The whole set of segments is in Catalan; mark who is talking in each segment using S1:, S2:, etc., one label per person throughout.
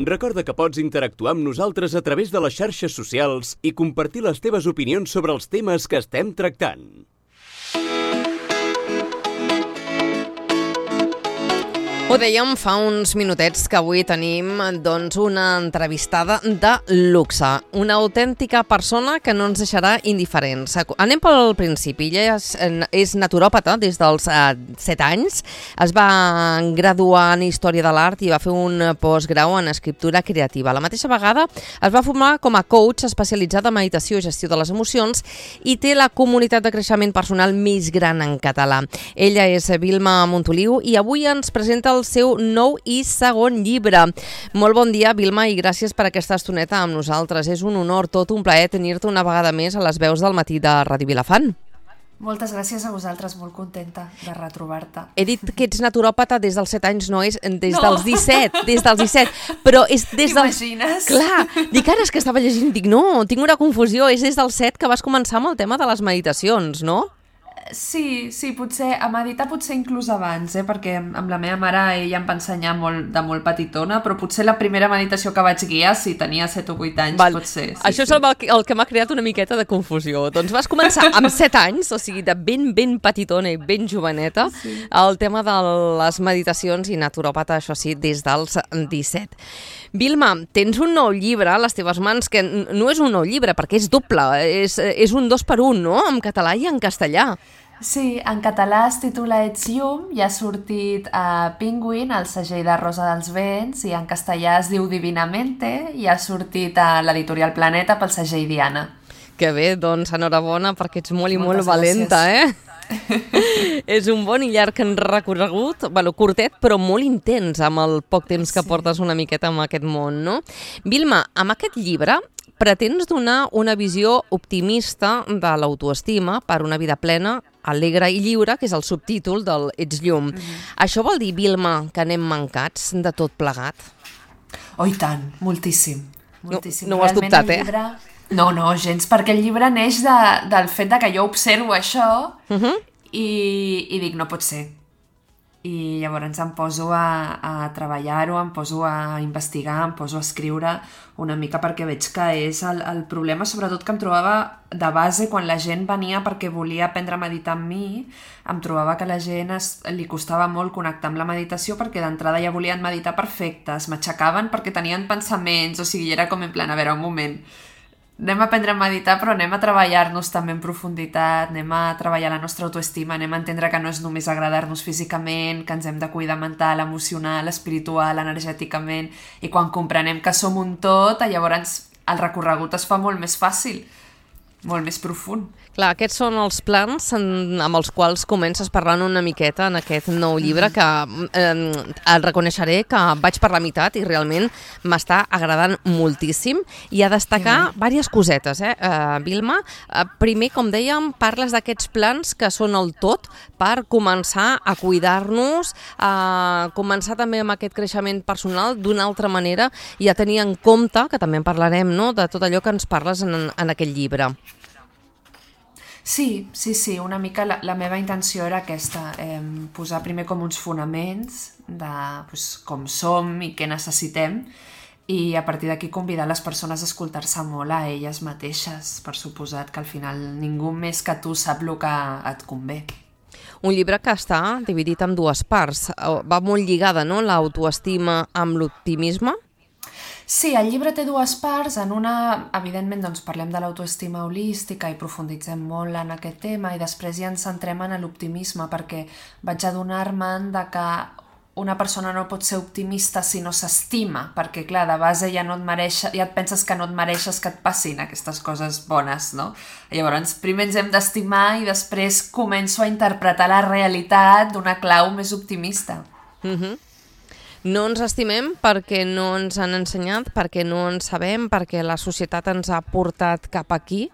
S1: Recorda que pots interactuar amb nosaltres a través de les xarxes socials i compartir les teves opinions sobre els temes que estem tractant.
S2: Ho dèiem fa uns minutets que avui tenim una entrevistada de luxe, una autèntica persona que no ens deixarà indiferents. Anem pel principi. Ella és naturòpata des dels 7 anys, es va graduar en Història de l'Art i va fer un postgrau en Escriptura Creativa. A la mateixa vegada es va formar com a coach especialitzada en meditació i gestió de les emocions i té la comunitat de creixement personal més gran en català. Ella és Vilma Montoliu i avui ens presenta el seu nou i segon llibre. Molt bon dia, Vilma, i gràcies per aquesta estoneta amb nosaltres. És un honor, tot un plaer tenir-te una vegada més a les veus del matí de Ràdio Vilafant.
S3: Moltes gràcies a vosaltres, molt contenta de retrobar-te.
S2: He dit que ets naturòpata des dels 7 anys, no és des dels 17, però és des dels...
S3: T'imagines?
S2: Clar, dic ara és que estava llegint, dic no, tinc una confusió, és des dels 7 que vas començar amb el tema de les meditacions, no?
S3: Sí, potser, a meditar potser inclús abans, perquè amb la meva mare ella em va ensenyar de molt petitona, però potser la primera meditació que vaig guiar, si tenia 7 o 8 anys, potser. Sí,
S2: això és el que m'ha creat una miqueta de confusió. Doncs vas començar amb 7 anys, o sigui, de ben petitona i ben joveneta, el tema de les meditacions i naturòpata, això sí, des dels 17. Vilma, tens un nou llibre a les teves mans, que no és un nou llibre, perquè és doble, és un 2x1, no?, en català i en castellà.
S3: Sí, en català es titula Ets llum i ha sortit a Penguin, al segell de Rosa dels Vents, i en castellà es diu Divinamente i ha sortit a l'editorial Planeta pel segell Diana.
S2: Que bé, doncs enhorabona perquè ets molt i molt valenta, És un bon i llarg recorregut, curtet però molt intens amb el poc temps que portes una miqueta en aquest món, no? Vilma, amb aquest llibre pretens donar una visió optimista de l'autoestima per una vida plena, alegre i lliure, que és el subtítol del Ets llum. Això vol dir, Vilma, que anem mancats de tot plegat?
S3: Oh, i tant, moltíssim.
S2: No ho has dubtat,
S3: No, gens, perquè el llibre neix del fet de que jo observo això i dic, no pot ser. I llavors em poso a treballar-ho, em poso a investigar, em poso a escriure una mica perquè veig que és el problema, sobretot que em trobava de base quan la gent venia perquè volia aprendre a meditar amb mi, em trobava que a la gent li costava molt connectar amb la meditació perquè d'entrada ja volien meditar perfectes, m'aixecaven perquè tenien pensaments, o sigui, era com en plan, a veure, un moment, anem a aprendre a meditar, però anem a treballar-nos també en profunditat, anem a treballar la nostra autoestima, anem a entendre que no és només agradar-nos físicament, que ens hem de cuidar mental, emocional, espiritual, energèticament, i quan comprenem que som un tot, llavors el recorregut es fa molt més fàcil, molt més profund.
S2: Clar, aquests són els plans amb els quals comences parlant una miqueta en aquest nou llibre que el reconeixeré que vaig per la meitat i realment m'està agradant moltíssim i a destacar diverses cosetes, Vilma. Primer, com dèiem, parles d'aquests plans que són el tot per començar a cuidar-nos, a començar també amb aquest creixement personal d'una altra manera i a tenir en compte, que també en parlarem, no?, de tot allò que ens parles en aquest llibre.
S3: Sí, una mica la meva intenció era aquesta, posar primer com uns fonaments de com som i què necessitem i a partir d'aquí convidar les persones a escoltar-se molt a elles mateixes, per suposat que al final ningú més que tu sap el que et convé.
S2: Un llibre que està dividit en 2 parts, va molt lligada, no?, l'autoestima amb l'optimisme?
S3: Sí, el llibre té 2 parts. En una, evidentment, doncs, parlem de l'autoestima holística i profunditzem molt en aquest tema i després ja ens centrem en l'optimisme perquè vaig adonar-me'n de que una persona no pot ser optimista si no s'estima, perquè clar, de base ja et penses que no et mereixes que et passin aquestes coses bones, no? Llavors, primer ens hem d'estimar i després començo a interpretar la realitat d'una clau més optimista.
S2: No ens estimem perquè no ens han ensenyat, perquè no en sabem, perquè la societat ens ha portat cap aquí?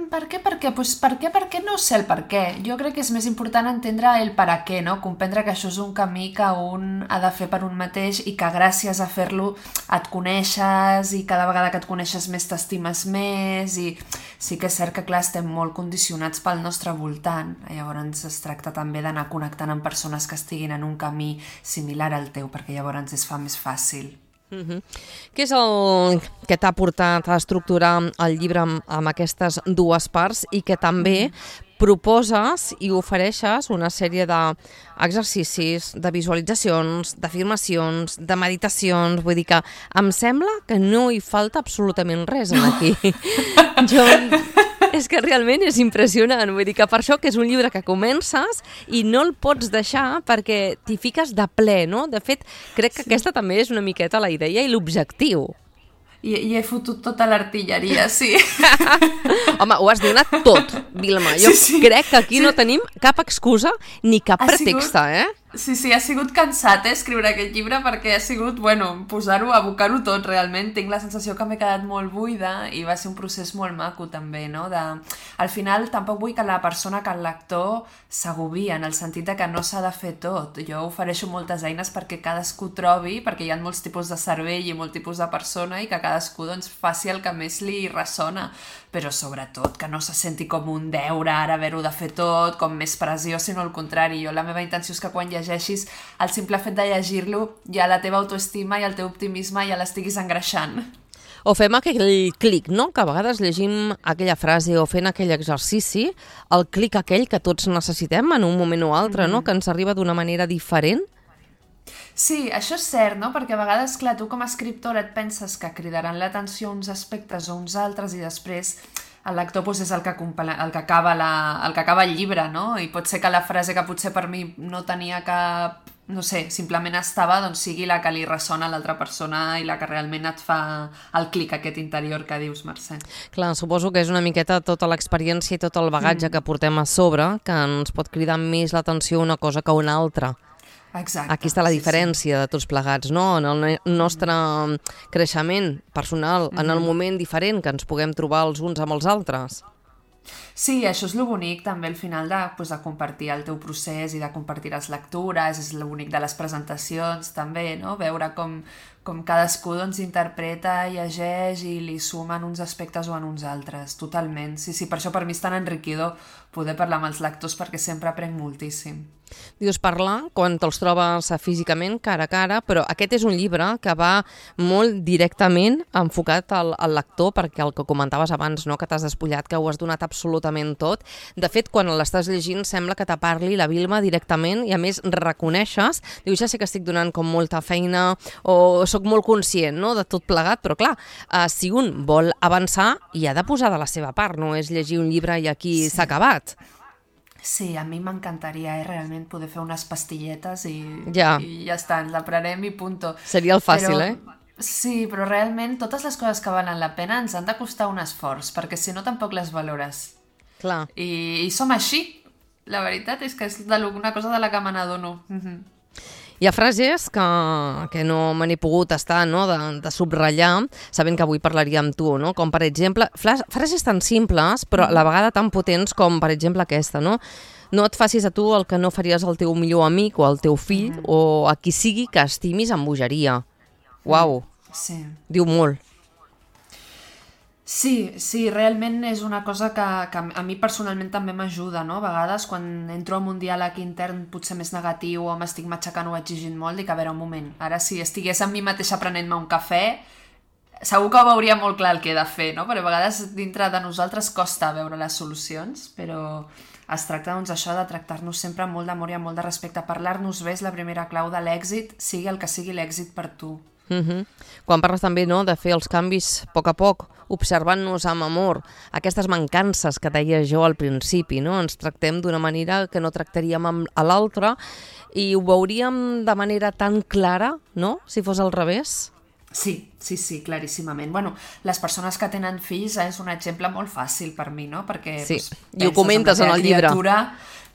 S3: Per què? Perquè no sé el per què. Jo crec que és més important entendre el per a què, no? Comprendre que això és un camí que un ha de fer per un mateix i que gràcies a fer-lo et coneixes i cada vegada que et coneixes més t'estimes més i sí que és cert que, clar, estem molt condicionats pel nostre voltant. Llavors es tracta també d'anar connectant amb persones que estiguin en un camí similar al teu, perquè llavors es fa més fàcil.
S2: Què és el que t'ha portat a estructurar el llibre amb aquestes dues parts i que també proposes i ofereixes una sèrie d'exercicis, de visualitzacions, d'afirmacions, de meditacions, vull dir que em sembla que no hi falta absolutament res aquí. És que realment és impressionant, vull dir que per això que és un llibre que comences i no el pots deixar perquè t'hi fiques de ple, no? De fet, crec que aquesta també és una miqueta la idea i l'objectiu.
S3: I he fotut tota l'artilleria, sí.
S2: Home, ho has donat tot, Vilma. Jo crec que aquí no tenim cap excusa ni cap pretext, eh?
S3: Sí, ha sigut cansat, escriure aquest llibre, perquè ha sigut, posar-ho, abocar-ho tot, realment. Tinc la sensació que m'he quedat molt buida i va ser un procés molt maco, també, no? Al final, tampoc vull que la persona, que el lector s'agobi, en el sentit de que no s'ha de fer tot. Jo ofereixo moltes eines perquè cadascú trobi, perquè hi ha molts tipus de cervell i molts tipus de persona i que cadascú faci el que més li ressona. Però sobretot que no se senti com un deure ara haver-ho de fer tot, com més pressió, sinó al contrari. La meva intenció és que quan llegeixis, el simple fet de llegir-lo, ja la teva autoestima i el teu optimisme ja l'estiguis engreixant.
S2: O fem aquell clic, no? Que a vegades llegim aquella frase o fent aquell exercici, el clic aquell que tots necessitem en un moment o altre, no? Que ens arriba d'una manera diferent.
S3: Sí, això és cert, no? Perquè a vegades, clar, tu com a escriptora et penses que cridaran l'atenció uns aspectes o uns altres i després el lector és el que acaba el llibre, no? I pot ser que la frase que potser per mi no tenia cap... no sé, simplement estava, sigui la que li ressona a l'altra persona i la que realment et fa el clic aquest interior que dius, Mercè.
S2: Clar, suposo que és una miqueta tota l'experiència i tot el bagatge que portem a sobre que ens pot cridar més l'atenció una cosa que una altra.
S3: Exacte.
S2: Aquí està la diferència de tots plegats, no? En el nostre creixement personal, en el moment diferent que ens puguem trobar els uns amb els altres.
S3: Sí, això és lo bonic també al final de compartir el teu procés i de compartir les lectures, és lo bonic de les presentacions també, no? Veure com cadascú interpreta, llegeix i li suma en uns aspectes o en uns altres, totalment. Sí, per això per mi és tan enriquidor poder parlar amb els lectors perquè sempre aprenc moltíssim.
S2: Dius parlar quan te'ls trobes físicament, cara a cara, però aquest és un llibre que va molt directament enfocat al lector, perquè el que comentaves abans, no? Que t'has despullat, que ho has donat absolutament tot. De fet, quan l'estàs llegint sembla que te parli la Vilma directament i a més reconeixes, dius, ja sé que estic donant com molta feina o sóc molt conscient, no? De tot plegat, però clar, si un vol avançar hi ha de posar de la seva part, no és llegir un llibre i aquí s'ha acabat.
S3: Sí, a mi m'encantaria realment poder fer unes pastilletes i ja està, ens la prenem i punto.
S2: Seria el fàcil,
S3: Sí, però realment totes les coses que valen la pena ens han de costar un esforç, perquè si no tampoc les valores.
S2: Clar.
S3: I som així. La veritat és que és una cosa de la que me n'adono.
S2: Hi ha frases que no me n'he pogut estar, no? de subratllar, sabent que avui parlaria amb tu, no? Com per exemple, frases tan simples però a la vegada tan potents com per exemple aquesta, no? No et facis a tu el que no faries al teu millor amic o al teu fill o a qui sigui que estimis amb bogeria. Uau, diu molt.
S3: Sí, realment és una cosa que a mi personalment també m'ajuda, no? A vegades quan entro en un diàleg intern potser més negatiu o m'estic matxacant o exigint molt, dic, a veure, un moment, ara si estigués amb mi mateixa prenent-me un cafè, segur que ho veuria molt clar el que he de fer, no? Perquè a vegades dintre de nosaltres costa veure les solucions, però es tracta això de tractar-nos sempre amb molt d'amor i amb molt de respecte. Parlar-nos bé és la primera clau de l'èxit, sigui el que sigui l'èxit per tu.
S2: Quan parles també, no, de fer els canvis a poc, observant-nos amb amor, aquestes mancances que deia jo al principi, no? Ens tractem d'una manera que no tractaríem a l'altra i ho veuríem de manera tan clara, no?, si fos al revés.
S3: Sí, claríssimament. Bueno, les persones que tenen fills és un exemple molt fàcil per mi, no? Perquè
S2: sí, i ho comentes en el llibre.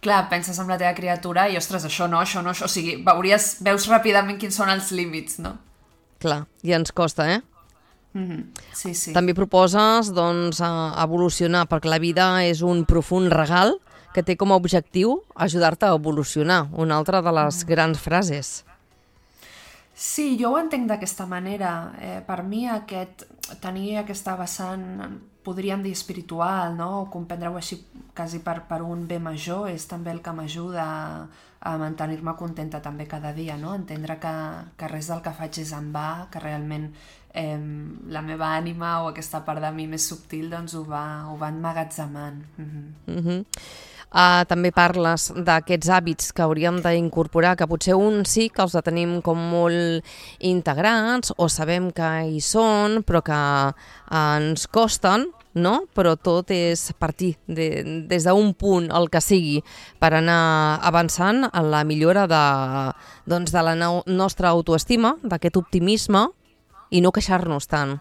S3: Clar, penses en la teva criatura i, ostres, això no. O sigui, veus ràpidament quins són els límits, no?
S2: Clar, i ens costa,
S3: Sí.
S2: També proposes, doncs, evolucionar, perquè la vida és un profund regal que té com a objectiu ajudar-te a evolucionar, una altra de les grans frases.
S3: Sí, jo ho entenc d'aquesta manera. Per mi tenir aquesta vessant podríem dir espiritual, no? O comprendre-ho així quasi per un bé major, és també el que m'ajuda a mantenir-me contenta també cada dia, no? Entendre que res del que faig és en va, que realment la meva ànima o aquesta part de mi més subtil doncs ho va emmagatzemant.
S2: També parles d'aquests hàbits que hauríem d'incorporar, que potser uns sí que els tenim com molt integrats o sabem que hi són, però que ens costen, no? Però tot és partir des d'un punt, el que sigui, per anar avançant en la millora de la nostra autoestima, d'aquest optimisme, i no queixar-nos tant.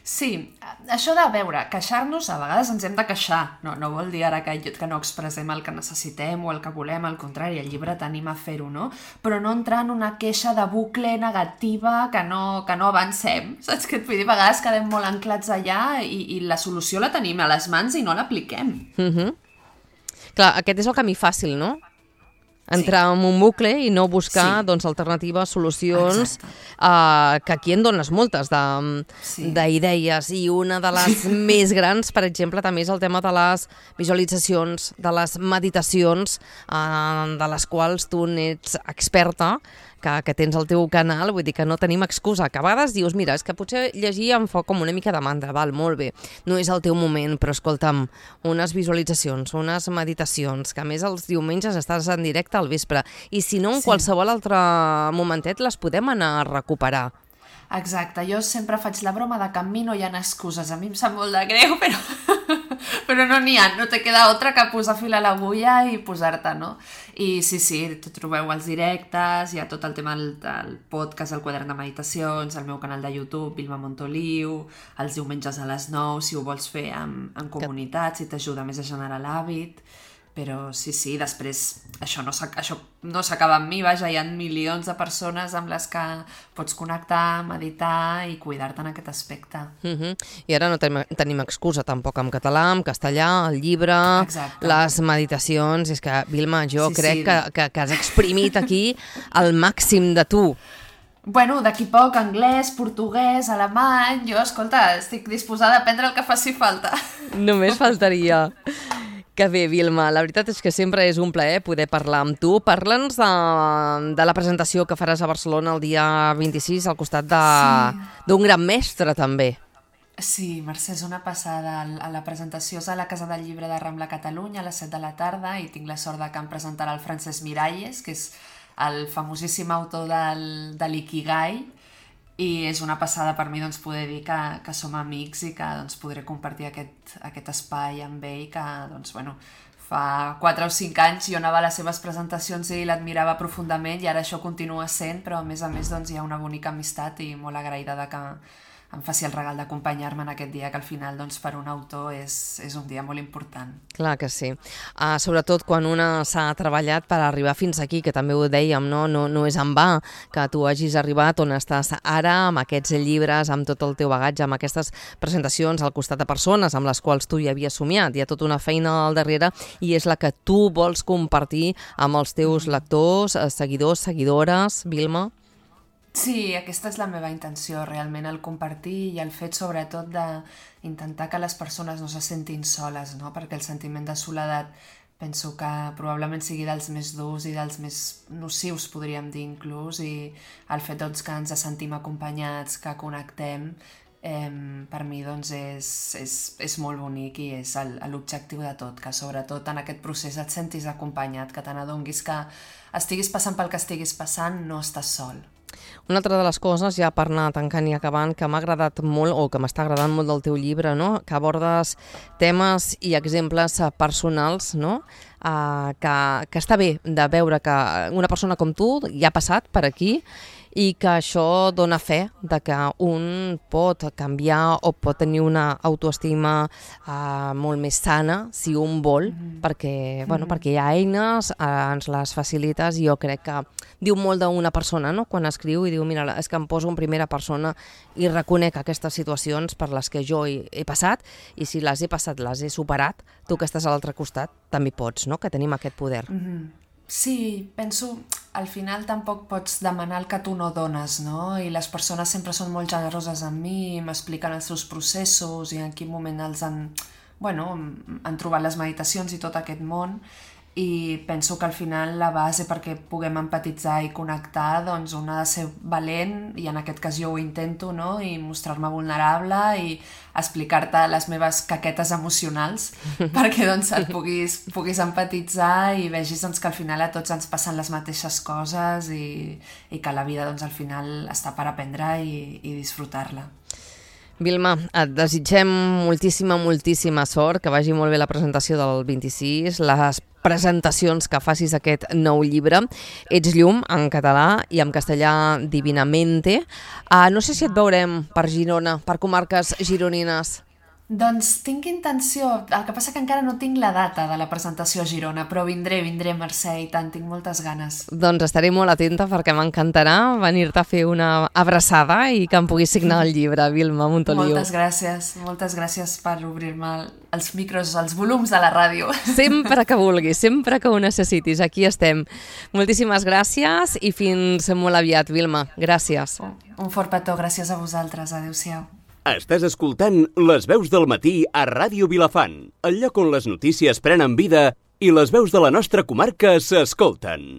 S3: Sí, això de veure, queixar-nos, a vegades ens hem de queixar, no vol dir ara que no expressem el que necessitem o el que volem, al contrari, el llibre t'anima a fer-ho, no? Però no entrar en una queixa de bucle negativa que no avancem, saps què et vull dir? A vegades quedem molt anclats allà i la solució la tenim a les mans i no l'apliquem.
S2: Clar, aquest és el camí fàcil, no? Entrar en un bucle i no buscar alternatives, solucions, que aquí en dones moltes d'idees. I una de les més grans, per exemple, també és el tema de les visualitzacions, de les meditacions, de les quals tu n'ets experta, que tens el teu canal, vull dir que no tenim excusa. Que a vegades dius, mira, és que potser llegir em fa com una mica de mandra, val, molt bé, no és el teu moment, però escolta'm, unes visualitzacions, unes meditacions, que a més els diumenges estàs en directe al vespre, i si no, en qualsevol altre momentet les podem anar a recuperar.
S3: Exacte, jo sempre faig la broma de que amb mi no hi ha excuses, a mi em sap molt de greu, però no n'hi ha, no te queda altra que posar fil a l'agulla i posar-te, no? I sí, trobeu els directes, hi ha tot el tema del podcast, el quadern de meditacions, el meu canal de YouTube, Vilma Montoliu, els diumenges a les 9, si ho vols fer en comunitat, si t'ajuda més a generar l'hàbit. Però sí, després això no s'acaba amb mi, vaja, hi ha milions de persones amb les que pots connectar, meditar i cuidar-te en aquest aspecte.
S2: I ara no tenim excusa tampoc en català, en castellà, el llibre, les meditacions. És que, Vilma, jo crec que has exprimit aquí el màxim de tu.
S3: Bueno, d'aquí poc, anglès, portuguès, alemany... Jo, escolta, estic disposada a aprendre el que faci falta.
S2: Només faltaria. Que bé, Vilma, la veritat és que sempre és un plaer poder parlar amb tu. Parla'ns de la presentació que faràs a Barcelona el dia 26 al costat d'un gran mestre, també.
S3: Sí, Mercè, és una passada. La presentació és a la Casa del Llibre de Rambla, Catalunya, a les 7 de la tarda, i tinc la sort de que em presentarà el Francesc Miralles, que és el famosíssim autor de l'Ikigai, i és una passada per mi poder dir que som amics i que podré compartir aquest espai amb ell, que fa 4 o 5 anys jo anava a les seves presentacions i l'admirava profundament, i ara això continua sent, però a més hi ha una bonica amistat i molt agraïda de que em faci el regal d'acompanyar-me en aquest dia, que al final per un autor és un dia molt important.
S2: Clar que sí. Sobretot quan una s'ha treballat per arribar fins aquí, que també ho dèiem, no és en va que tu hagis arribat on estàs ara, amb aquests llibres, amb tot el teu bagatge, amb aquestes presentacions al costat de persones amb les quals tu hi havies somiat. Hi ha tota una feina al darrere i és la que tu vols compartir amb els teus lectors, seguidors, seguidores, Vilma?
S3: Sí, aquesta és la meva intenció, realment, el compartir i el fet, sobretot, d'intentar que les persones no se sentin soles, no? Perquè el sentiment de soledat penso que probablement sigui dels més durs i dels més nocius, podríem dir, inclús, i el fet que ens sentim acompanyats, que connectem, per mi és molt bonic i és l'objectiu de tot, que sobretot en aquest procés et sentis acompanyat, que te n'adonis que estiguis passant pel que estiguis passant, no estàs sol.
S2: Una altra de les coses, ja per anar tancant i acabant, que m'ha agradat molt o que m'està agradant molt del teu llibre, no? Que abordes temes i exemples personals, no? Que està bé de veure que una persona com tu ja ha passat per aquí i que això dona fe de que un pot canviar o pot tenir una autoestima molt més sana si un vol, perquè hi ha eines, ens les facilites, i jo crec que diu molt d'una persona, no? Quan escriu i diu, mira, és que em poso en primera persona i reconec aquestes situacions per les que jo he passat, i si les he passat, les he superat, tu que estàs a l'altre costat també pots, no? Que tenim aquest poder.
S3: Sí, penso al final tampoc pots demanar el que tu no dones, no? I les persones sempre són molt generoses amb mi, m'expliquen els seus processos i en quin moment han trobat les meditacions i tot aquest món, i penso que al final la base perquè puguem empatitzar i connectar, doncs un ha de ser valent, i en aquest cas jo ho intento, no? I mostrar-me vulnerable i explicar-te les meves caquetes emocionals perquè doncs et puguis empatitzar i vegis doncs, que al final a tots ens passen les mateixes coses i que la vida doncs, al final està per aprendre i disfrutar-la.
S2: Vilma, et desitgem moltíssima sort, que vagi molt bé la presentació del 26, les presentacions que facis aquest nou llibre. Ets llum, en català, i en castellà Divinamente. No sé si et veurem per Girona, per comarques gironines.
S3: Doncs tinc intenció, el que passa que encara no tinc la data de la presentació a Girona, però vindré, Mercè, i tant, tinc moltes ganes.
S2: Doncs estaré molt atenta perquè m'encantarà venir-te a fer una abraçada i que em puguis signar el llibre, Vilma Montoliu.
S3: Moltes gràcies per obrir-me els micros, els volums de la ràdio.
S2: Sempre que vulguis, sempre que ho necessitis, aquí estem. Moltíssimes gràcies i fins molt aviat, Vilma. Gràcies.
S3: Un fort petó, gràcies a vosaltres. Adéu-siau.
S1: Estàs escoltant Les veus del matí a Ràdio Vilafant, el lloc on les notícies prenen vida i les veus de la nostra comarca s'escolten.